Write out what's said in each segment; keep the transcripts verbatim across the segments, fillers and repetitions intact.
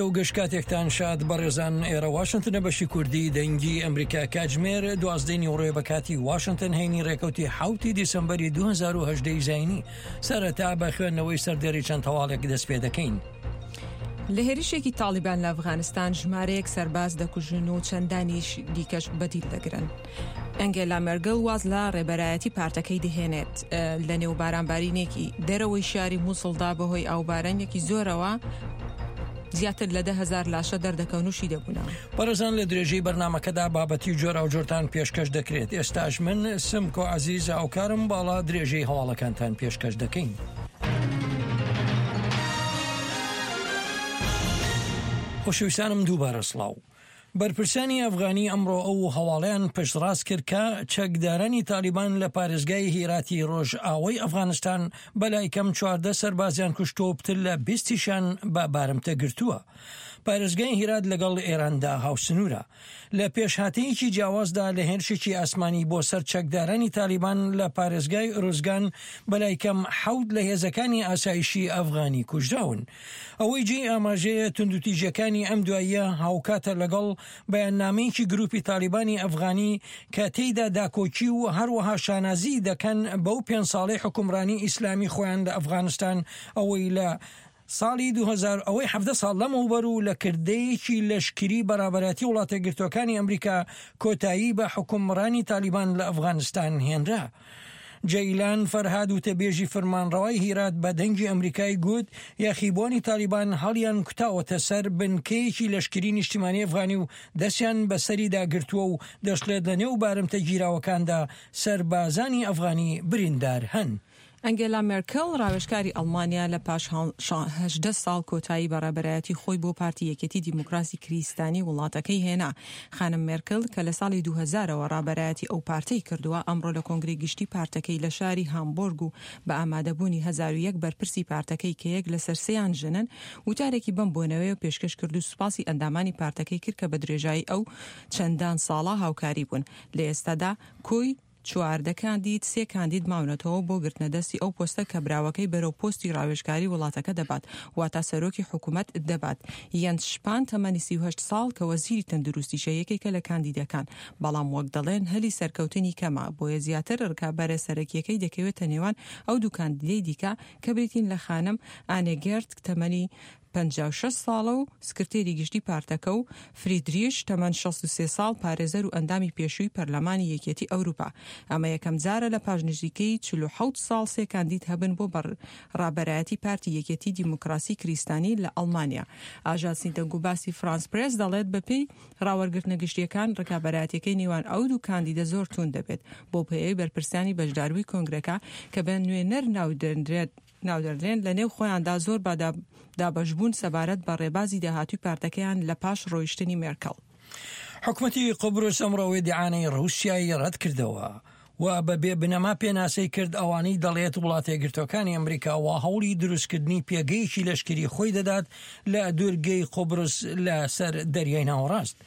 و گشت کاتێکتان شاد بەڕێزان. ئێرە واشنتنە، بەشی کوردی دەنگی ئەمریکا. کاتژمێر دوازدەی نیوەڕۆیە بە کاتی واشنتن، هەینی ڕێکەوتی حوتی دیسەمبەری دوو هەزار و هەژدە زایینی. سەرەتا بە خوێندنەوەی سەردێری چەند هەواڵێک دەست پێ دەکەین. لە هێرشێکی تاڵیبان لە ئەفغانستان ژمارەیەک سەرباز دەکوژن و چەندانیش دیکەش بەدیل دەگرن. ئەنگێلا مێرکڵ واز لە ڕێبەرایەتی پارتەکەی دەهێنێت. لە نێو بارانبارینێکی دەرەوەی شاری مووسڵدا بەهۆی ئاوبارانێکی زۆرەوە زیاتر لە دە هەزار لاشە دەردەکەون و شی دەبوونەوە. بەڕێزان، لە درێژەی بەرنامەکەدا بابەتی جۆراوجۆرتان پێشکەش دەکرێت. ئێستاش من سمکۆ عەزیز هاوکارم باڵا درێژەی هەواڵەکانتان پێشکەش دەکەین. خۆشەویستانم، دووبارە سڵاو. بەرپرسانی ئەفغانی ئەمڕۆ ئەو هەواڵیان پشتڕاست کرد کە چەکدارانی تالیبان لە پارێزگای هیراتی ڕۆژئاوای ئەفغانستان بەلای کەم چواردە سەربازیان کوشتووە و پتر لە بیستیشان بە بارمتە گرتووە. پارێزگای هیرات لەگەڵ ئێراندا هاوسنوورە. لە پێشهاتەیەکی جیاوازدا، لە هێرشێکی ئاسمانی بۆ سەر چەکدارانی تالیبان لە پارێزگای ئۆروزگان بەلای کەم حەوت لە هێزەکانی ئاسایشی ئەفغانی کوژراون. ئەوەی جێی ئاماژەیە، توندوتیژەکانی ئەم دواییە هاوکاتە لەگەڵ بەیاننامەیەکی گروپی تالیبانی ئەفغانی کە تێیدا داکۆکی و هەروەها شانازی دەکەن بەو پێنج ساڵەی حکومڕانی ئیسلامی خۆیان لە ئەفغانستان، ئەوەی لە ساڵی دوو هەزار، ئەوەی حەڤدە ساڵ لەمەوبەر و لە کردەیەکی لەشکری بە ڕابەرایەتی وڵاتە یەکگرتووەکانی ئەمریکا کۆتایی بە حکومڕانی تالیبان لە ئەفغانستان هێنرا. جەیلان فەرهاد وتەبێژی فەرمانڕەوای هیرات بە دەنگی ئەمریکای گوت یاخیبوانی تالیبان هەڵیان کوتاوەتە سەر بنکەیەکی لەشکری نیشتیمانی ئەفغانی و دەستیان بەسەریدا گرتووە و دەشڵێت لە نێو بارمتە گیراوەکاندا سەربازانی ئەفغانی بریندار هەن. ئەنگێلا مێرکل، ڕاوێژکاری ئەڵمانیا، لە پاش هەژدە ساڵ کۆتایی بە ڕێبەرایەتی خۆی بۆ پارتی یەکێتی دیموکراسی کریستانی وڵاتەکەی هێنا. خانم مێرکل کە لە ساڵی دوو هەزار ەوە ڕابەرایەتی ئەو پارتەی کردووە، ئەمڕۆ لە کۆنگرەی گشتی پارتەکەی لە شاری هامبۆرگ و بە ئامادەبوونی هەزار و یەک بەرپرسی پارتەکەی کە یەک لەسەر سێیان ژنن، وتارێکی بەم بۆنەوەیە پێشکەش کرد و سوپاسی ئەندامانی پارتەکەی کرد کە بە درێژایی ئەو چەندان ساڵە هاوکاری بوون. لە ئێستادا کۆی چواردە کاندید، سێ کاندید ماونەتەوە بۆ گرتنە دەستی ئەو پۆستە کە براوەکەی بەرەو پۆستی ڕاوێژکاری وڵاتەکە دەبات، واتە سەرۆکی حکوومەت دەبات. یەنس شپان تەمەنی سی و هەشت ساڵ کە وەزیری تەندروستیشە یەکێکە لە کاندیدەکان، بەڵام وەک دەڵێن هەلی سەرکەوتنی کەمە، بۆیە زیاتر ڕکابەرە سەرەکیەکەی دەکەوێتە نێوان ئەو دوو کاندیدەی دیکە کە بریتین لە خانم ئانێگێرت تەمەنی پەنجا و شەش ساڵە و سکرتێری گشتی پارتەکە و فریدریش تەمەن شەست و سێ ساڵ، پارێزەر و ئەندامی پێشووی پەرلەمانی یەکێتی ئەوروپا. ئەمە یەکەم جارە لە پاش نزیکەی چل و حەوت ساڵ سێ کاندید هەبن بۆ ڕابەرایەتی پارتی یەکێتی دیموکراسی کریستانی لە ئەڵمانیا. ئاژانسی دەنگوباسی فرانس پرێس دەڵێت بەپێی ڕاوەرگرتنە گشتیەکان ڕکابەرایەتیەکەی نێوان ئەو دوو کاندیدە زۆر توند دەبێت. بۆ پێی بەرپرسانی بەشداربووی کۆنگرەکە کە بە نوێنەر ناودەنرێت ناودەردرێن، لە نێو خۆیاندا زۆر با دابەشبوون سەبارەت بە ڕێبازی داهاتووی پارتەکەیان لە پاش ڕۆیشتنی مێرکل. حکومەتی قوبرس ئەمڕۆ ئیدیعای ڕووسیای ڕەت کردەوە و بە بێ بنەما پێناسەی کرد، ئەوانەی دەڵێت وڵاتە یەکگرتووەکانی ئەمریکا وا هەوڵی دروستکردنی پێگەیەکی لەشکری خۆی دەدات لە دوورگەی قوبرس لەسەر دەریای ناوەڕاست.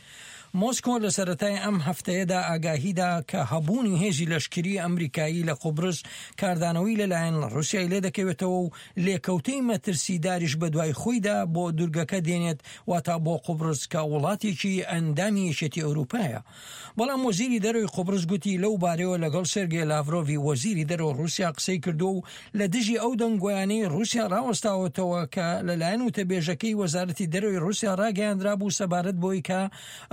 مۆسکۆ لە سەرەتای ئەم هەفتەیەدا ئاگاهیدا کە هەبوونی هێزی لەشکری ئەمریکایی لە قوبرس کاردانەوەی لەلایەن ڕووسیای لێ دەکەوێتەوە و لێکەوتەی مەترسیداریش بەدوای خۆیدا بۆ دوورگەکە دێنێت، واتا بۆ قوبرس کە وڵاتێکی ئەندامی یەکێتی ئەوروپایە. بەڵام وەزیری دەرەوەی قوبرس گوتی لەو بارەیەوە لەگەڵ سێرگی لاڤرۆڤی وەزیری دەرەوە ڕووسیا قسەی کردو و لە دژی ئەو دەنگۆیانەی ڕووسیا ڕاوەستاوەتەوە کە لەلایەن وتەبێژەکەی وەزارەتی دەرەوەی ڕووسیا ڕاگەیاندرا بوو سەبارەت بەوەی کە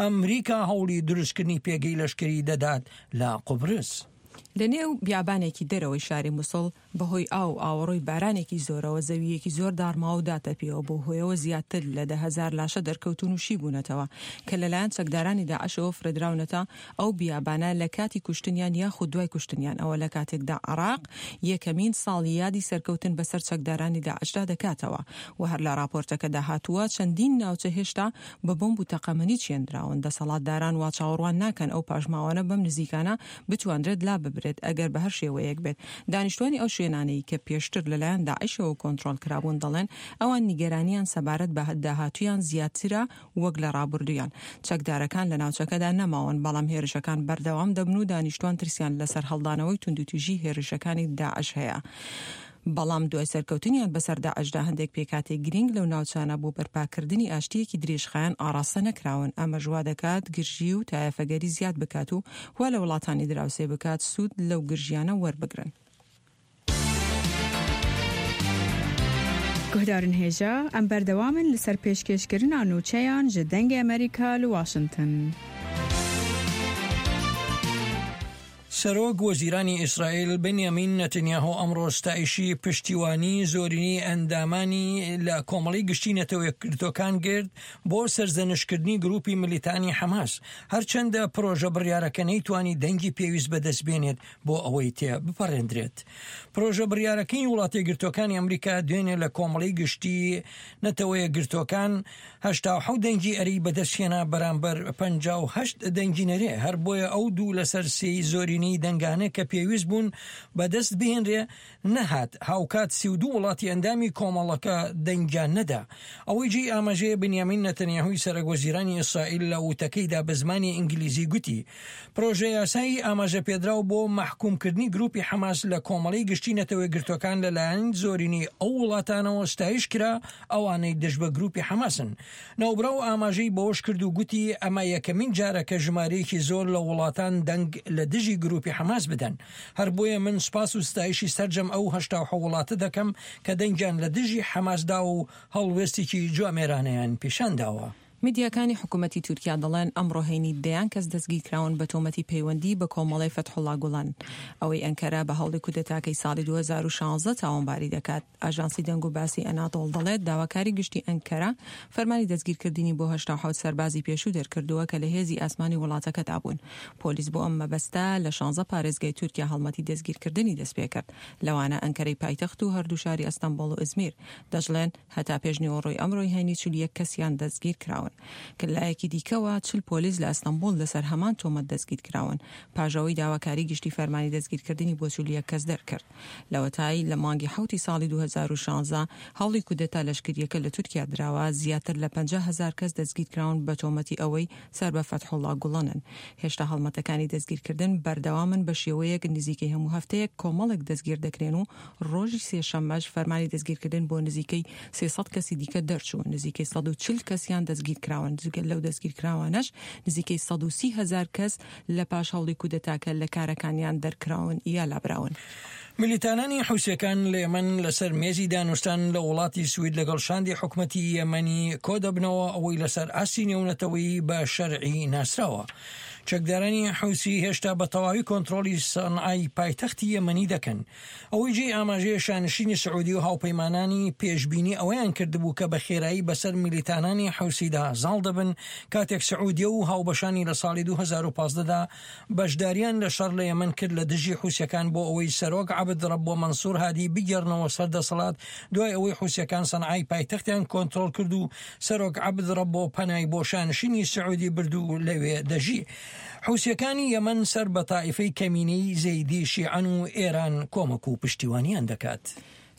ئەمریکا هەوڵی دروستکردنی پێگەی لەشکری دەدات لە قوبرس. لە نێو بیابانێکی دەرەوەی شاری موسڵ بەهۆی ئاو و ئاوەڕۆی بارانێکی زۆرەوە زەوییەکی زۆر داڕماوە و داتەپیەوە، بەو هۆیەوە زیاتر لە دە هەزار لاشە دەرکەوتون و شی بوونەتەوە کە لەلایەن چەکدارانی داعشەوە فرێدراونەتە ئەو بیابانە لە کاتی کوشتنیان یاخود دوای کوشتنیان. ئەوە لە کاتێکدا عێراق یەکەمین ساڵی یادی سەرکەوتن بەسەر چەکدارانی داعشدا دەکاتەوە و هەر لە راپۆرتەکەدا هاتووە چەندین ناوچە هێشتا بە بۆمب و تەقەمەنی چێندراون، دەسەڵاتداران وا چاوەڕوان ناکەن ئەو پاشماوانە بەم نزیکانە بتواندرێت لا ببرێت ئەگەر بە هەر شێوەیەک بێت. دانیشتوانی ئەو شوێنانەی کە پێشتر لەلایەن داعشەوە کۆنترۆڵ کرابوون دەڵێن ئەوان نیگەرانیان سەبارەت بە داهاتوویان زیاترە وەک لە ڕابردوویان. چەکدارەکان لە ناوچەکەدا نەماون، بەڵام هێرشەکان بەردەوام دەبن و دانیشتوان ترسیان لەسەر هەڵدانەوەی توندوتیژی هێرشەکانی داعش هەیە. بەڵام دوای سەرکەوتنیان بەسەر داعشدا هەندێک پێکهاتەی گرنگ لەو ناوچانە بۆ بەرپاکردنی ئاشتییەکی درێژخایەن ئاڕاستە نەکراون، ئەمەش وا دەکات گرژی و تایەفەگەری زیاد بکات و وا لە وڵاتانی دراوسێ بکات سوود لەو گرژیانە وەربگرن. Guhdarên hêja, em berdewam in li ser pêşkêşkirina nûçeyan ji Dengê Amerîka li Washington. سەرۆک وەزیرانی ئیسرائیل بنیامین نەتنیاهۆ ئەمڕۆ ستایشی پشتیوانی زۆرینەی ئەندامانی لە کۆمەڵی گشتی نەتەوە یەکگرتووەکان کرد بۆ سەرزەنشتکردنی گروپی ملیتانی حەماس، هەرچەندە پرۆژە بڕیارەکە نەیتوانی دەنگی پێویست بەدەست بێنێت بۆ ئەوەی تێ بپەڕێندرێت. پرۆژە بڕیارەکەی وڵاتە یەکگرتووەکانی ئەمریکا دوێنێ لە کۆمەڵی گشتی نەتەوە یەکگرتووەکان هەشتا و حەوت دەنگی ئەرێی بەدەستهێنا بەرامبەر پەنجا و هەشت دەنگی نەرێ، هەر بۆیە ئەو دوو لەسەر سێی زۆرینەی دەنگانە کە پێویست بوون بەدەست بهێنرێ نەهات. هاوکات سی و دوو وڵاتی ئەندامی کۆمەڵەکە دەنگیان نەدا. ئەوەی جێی ئاماژەیە بنیامین نەتەنیاهوی سەرۆک وەزیرانی ئیسرائیل لە وتەکەیدا بە زمانی ئینگلیزی گوتی پرۆژە یاسایی ئاماژە پێدراو بۆ مەحکومکردنی گروپی حەماس لە کۆمەڵی گشتی نەتەوە یەکگرتووەکان لەلایەن زۆرینەی ئەو وڵاتانەوە ستایش کرا ئەوانەی دژ بە گروپی حەماسن. ناوبراو ئاماژەی بەوەش کرد و گوتی ئەمە یەکەمین جارە کە ژمارەیەکی زۆر لە وڵاتان دەنگ لە دژی گروپی حەماس بدەن. هەر بۆیە من سوپاس و ستایشی سەرجەم ئەو هەشتا و حەوت وڵاتە دەکەم کە دەنگیان لە دژی حەماس داوە و هەڵوێستێکی جوامێرانەیان پیشان داوە. میدیاکانی حکوومەتی تورکیا دەڵێن ئەمڕۆ هەینی دەیان کەس دەستگیرکراون بە تۆمەتی پەیوەندی بە کۆمەڵەی فەتحوڵا گوڵان، ئەوەی ئەنکەرە بە هەوڵی کودەتاکەی ساڵی دوو هەزار و شازدە تاوانباری دەکات. ئاژانسی دەنگ و باسی ئەنادۆڵ دەڵێت داواکاری گشتی ئەنکەرە فەرمانی دەستگیرکردنی بۆ هەشتا و حەوت سەربازی پێشوو دەرکردووە کە لە هێزی ئاسمانی وڵاتەکەدا بوون. پۆلیس بۆ ئەم مەبەستە لە شانزە پارێزگای تورکیا هەڵمەتی دەستگیرکردنی دەستپێکرد، لەوانە ئەنکەرەی پایتەخت و هەردوو شاری ئەستەنبوڵ و ئیزمیر. دەشڵێن هەتا پێشنیوەڕۆی ئەمڕۆی هەینی چل و یەک کەسیان دەستگیر کراون. کە لایەکی دیکەوە چل پۆلیس لە ئەستەنبوڵ لەسەر هەمان تۆمەت دەستگیر کراون، پاژەوەی داواکاری گشتی فەرمانی دەستگیرکردنی بۆ چل و یەک کەس دەرکرد. لەوەتای لە مانگی حەوتی ساڵی دوو هەزار و شازدە هەوڵی کودەتا لەشکریەکە لە تورکیا دراوە، زیاتر لە پەنجا هەزار کەس دەستگیر کراون بە تۆمەتی ئەوەی سەر بە فەتحوڵا گوڵەنن. هێشتا هەڵمەتەکانی دەستگیرکردن بەردەوامن بە شێوەیەک نزیکەی هەموو هەفتەیەک کۆمەڵێک دەستگیر دەکرێن و ڕۆژی سێشەممەش فەرمانی دەستگیرکردن بۆ نزیکەی سێ سەد کەسی دیکە دەرچوو، نزیکەی سەد و چل کەسیان دەستگیر کراون. جگە لەو دەستگیرکراوانەش نزیکەی سەد و سی هەزار کەس لە پاش هەوڵی کودەتاکە لە کارەکانیان دەرکراون یا لابراون. ملیتانانی حوسیەکان لە یەمەن لەسەر مێزی دانوستان لە وڵاتی سوید لەگەڵ شاندی حکومەتی یەمەنی کۆ دەبنەوە، ئەوەی لەسەر ئاستی نێونەتەوەیی بە شەرعی ناسراوە. چەکدارانی حوسی هێشتا بە تەواوی کۆنترۆڵی سەنعای پایتەختی یەمەنی دەکەن. ئەوەی جێی ئاماژەیە شانشینی سعودی و هاوپەیمانانی پێشبینی ئەوەیان کردبوو کە بە خێرایی بەسەر میلیتانانی حوسیدا زاڵ دەبن، کاتێک سعودیە و هاوبەشانی لە ساڵی دوو هەزار و پازدە دا بەشداریان لە شەڕ لە یەمەن کرد لە دژی حوسیەکان بۆ ئەوەی سەرۆک عەبد ڕەبۆ مەنسوور هادی بگێڕنەوە سەر دەسەڵات دوای ئەوەی حوسیەکان سەنعای پایتەختیان کۆنترۆڵ کرد و سەرۆک عەبد ڕەبۆ پەنای بۆ شانشینی سعودی برد و لەوێ دەژی. حوسیەکانی یەمەن سەر بە تائیفەی کەمینەی زەیدی شیعەن و ئێران کۆمەک و پشتیوانیان دەکات.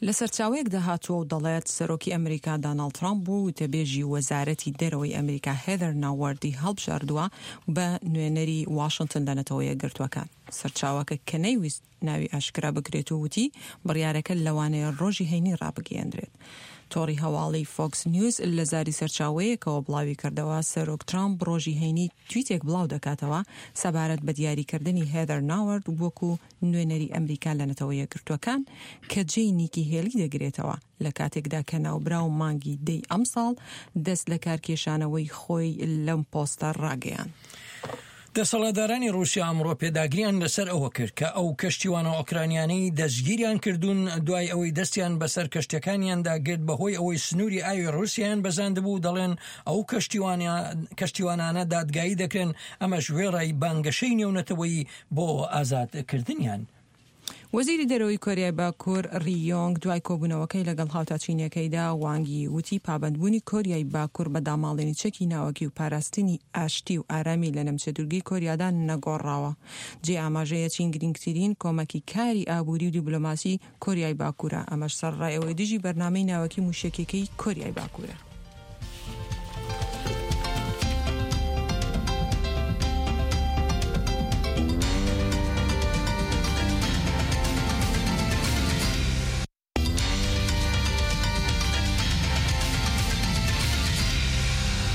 لە سەرچاوەیەکدا هاتووە و دەڵێت سەرۆکی ئەمریکا داناڵد ترامپ بوو وتەبێژی وەزارەتی دەرەوەی ئەمریکا هێدەر ناوەردی هەڵبژاردووە بە نوێنەری واشنگتن لە نەتەوە یەکگرتووەکان. سەرچاوەکە کە نەیویست ناوی ئاشکرا بکرێت و وتی بڕیارەکە لەوانەیە ڕۆژی هەینی ڕابگەیەندرێت. تۆڕی هەواڵی فۆکس نیوز لە زاری سەرچاوەیەکەوە بڵاوی کردەوە سەرۆک ترامپ ڕۆژی هەینی تویتێک بڵاو دەکاتەوە سەبارەت بە دیاریکردنی هێدەر ناوەرد وەکو نوێنەری ئەمریکا لە نەتەوە یەکگرتووەکان کە جێی نیکی هێلی دەگرێتەوە، لە کاتێکدا کە ناوبراو مانگی دەی ئەمساڵ دەست لە کارکێشانەوەی خۆی لەم پۆستە ڕاگەیاند. دەسەڵاتدارانی رووسیا ئەمڕۆ پێداگریان لەسەر ئەوە کرد کە ئەو کەشتیوانە ئۆکرانیانەی دەستگیریان کردوون دوای ئەوەی دەستیان بەسەر کەشتەکانیاندا گرت بەهۆی ئەوەی سنووری ئاوی رووسیایان بەزاندبوو، دەڵێن ئەو کەشتیوانانە دادگایی دەکرێن، ئەمەش وێڕای بانگەشەی نێونەتەوەیی بۆ ئازادکردنیان. وەزیری دەرەوەی کۆریای باکوور ڕیۆنگ دوای کۆبوونەوەکەی لەگەڵ هاوتا چینیەکەیدا وانگی وتی پابەندبوونی کۆریای باکوور بە داماڵینی چەکی ناوەکی و پاراستنی ئاشتی و ئارامی لە نەمچە دوورگەی کۆریادا نەگۆڕاوە. جێ ئاماژەیە چین گرنگترین کۆمەکی کاری ئابووری و دیبلۆماسی کۆریای باکوورە، ئەمەش سەرڕای ئەوەی دژی بەرنامەی ناوەکی موشەکیەکەی کۆریای باکوورە.